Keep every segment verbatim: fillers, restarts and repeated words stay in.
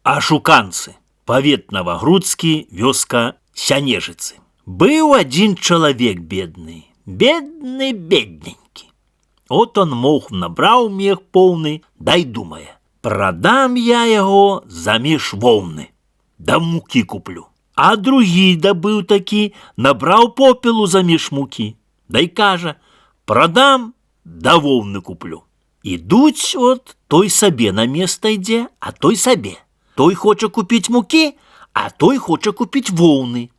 Ашуканцы. Павет Новогрудскі, вёска Сянежыцы. Быў адзін чалавек бедны, бедны, бедненькі. От он мох набраў мех поўны, дай думае, прадам я яго замеж воўны, да мукі куплю. А другі дабыў такі, набраў попелу замеж мукі, дай кажа, прадам, да воўны куплю. Ідуць от, той сабе на место ідзе, а той сабе. Той хоча купіць мукі, а той хоча купіць воўны.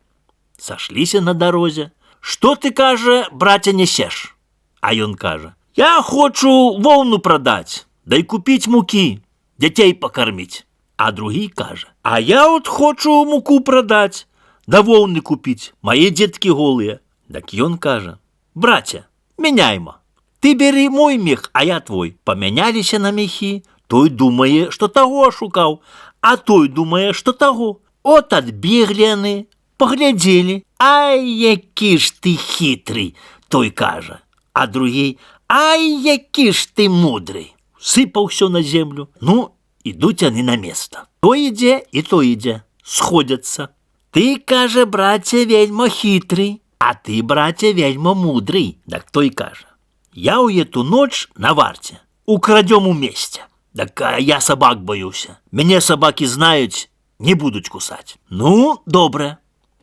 Сашліся на дарозе. Што ты, кажа, браце, несеш? А ён кажа, я хочу воўну прадаць, дай купіць мукі, дзяцей пакарміць. А другі кажа, а я от хочу муку прадаць, да воўны купіць, мае дзеткі голыя. Дак ён кажа, браце, мяняйма. Ты бери мой мех, а я твой. Памяняліся на мехі, той думае, што таго ашукаў, а той думае, што таго. От адбеглі яны, паглядзелі. Ай, які ж ты хітрый, той кажа. А другі, ай, які ж ты мудрый. Сыпаў усё на землю. Ну, ідуць яны на место. Той ідзе і той ідзе. Сходяцца. Ты, кажа, браце, вельма хітрый, а ты, браце, вельма мудрый. Так той кажа, я ў эту ноч на варце, украдём у месте. Так я собак боюся. Мяне собаки знаюць, не будуць кусаць. Ну, добре,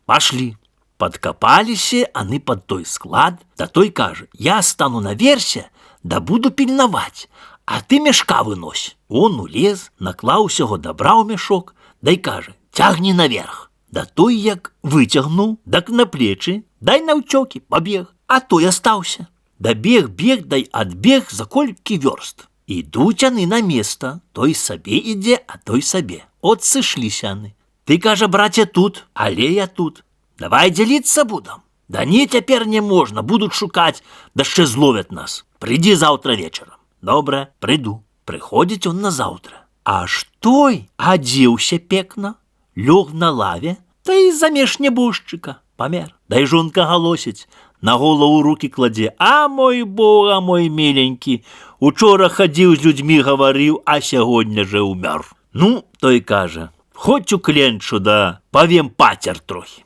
пошли. Подкопаліся аны под той склад, да той кажа, я стану наверсе, да буду пільнаваць, а ты мешка вынось. Он улез, наклаў усяго добра ў мешок, дай кажа, цягні наверх. Да той як выцягнуў, дак на плечы, дай наўцёкі, пабег, а той астаўся. Да бег, бег, дай адбег за колькі вёрст. Ідуць яны на место, той сабе ідзе, а той сабе. От сышліся яны. Ты, кажа, браце, тут, але я тут. Давай дзяліцца будам. Да не, цяпер не можна, будуць шукаць, да яшчэ зловяць нас. Прыйдзі заўтра вечарам. Добра, прыйду. Прыходзіць он назаўтра. Аж той адзеўся пекна, лёг на лаве, та і замеж нябожчыка памер. Дай жонка галосіць, на голову руки кладзе. А мой Бог, а мой миленький, учора хадзіў з людзьмі гаварыў, а сягоння же умёр. Ну, той кажа, хоць у кленчу, да павем пацер трохи.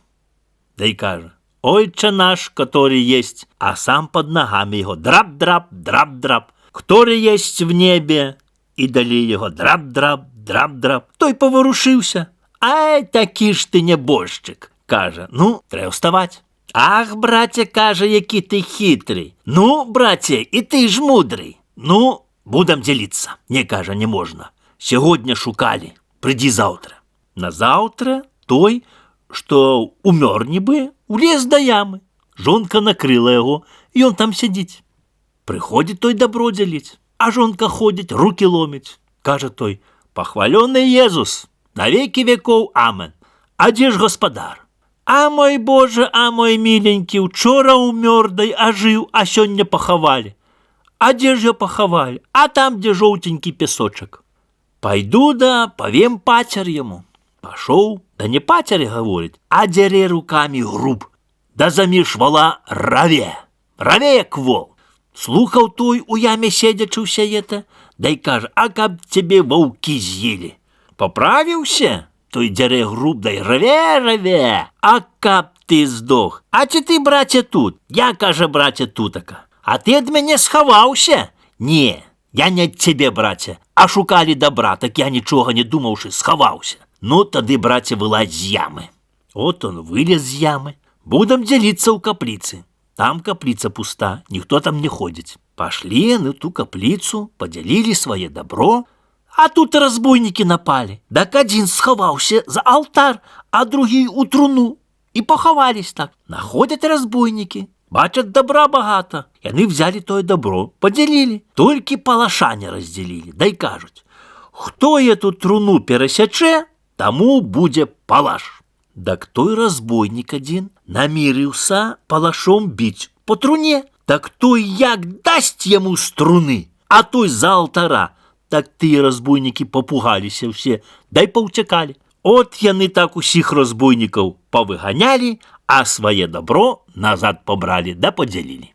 Дай кажа, ойче наш, который есть, а сам под ногами его драп-драп, драп-драп, который есть в небе, и далей его драп-драп, драп-драп. Той поворушыўся. Ай, такі ж ты нябожчык, кажа, ну, трэба вставать. Ах, браце, кажа, які ты хитрый. Ну, браце, і ты ж мудрый. Ну, будем дзяліцца. Не, кажа, не можна. Сягоння шукалі, прыйдзі заўтра. Назаўтра той, што умёр нібы, улез да ямы. Жонка накрыла яго, і ён там сядзіць. Прыходзіць той дабро дзяліць, а жонка ходзіць, руки ломіць. Кажа той, пахвалёны Езус, на веки веков, амен. А дзе ж гаспадар? А мой Боже, а мой миленький, учора умёр, дай ажыў, а сёння пахавалі. А дзе ж я пахавалі? А там, дзе жоўтенькі песочак. Пайду да павем пацер яму. Пашоў, да не пацер гаворыць, а дзярэ руками груб. Да заміж вала раве, раве як вол. Слухаў той у яме седзячы ўся это, дай кажа, а каб цябе ваўкі з'елі. Поправіўся? Той дзярэ груб, дай раве, раве, а каб ты здох. А ці ты, браце, тут? Я, кажа, браце, тутака. А ты ад мяне схаваўся? Не, я не ад цябе, браце, а шукалі добра, так я нічога не думаўшы, схаваўся. Ну, тады, браце, вылазь з ямы. От он вылез з ямы. Будам дзяліцца ў капліцы. Там капліца пуста, ніхто там не ходзіць. Пашлі яны ту капліцу, падзялілі свае добро, а тут разбойнікі напалі. Так адзін схаваўся за алтар, а другі у труну. І пахавались так. Находят разбойнікі, бачат добра багата. Яны взяли тое добро, падзялілі. Толькі палаша не раздзялілі. Дай кажуць, хто эту труну перасячэ, таму будзе палаш. Так той разбойнік адзін намірыўся палашом біць по труне. Так той як дасць яму з труны, а той за алтара. Так тыя разбойнікі попугаліся ўсе, дай паўцякалі. От яны так усіх разбойнікаў павыганялі, а свае добро назад пабралі да падзялілі.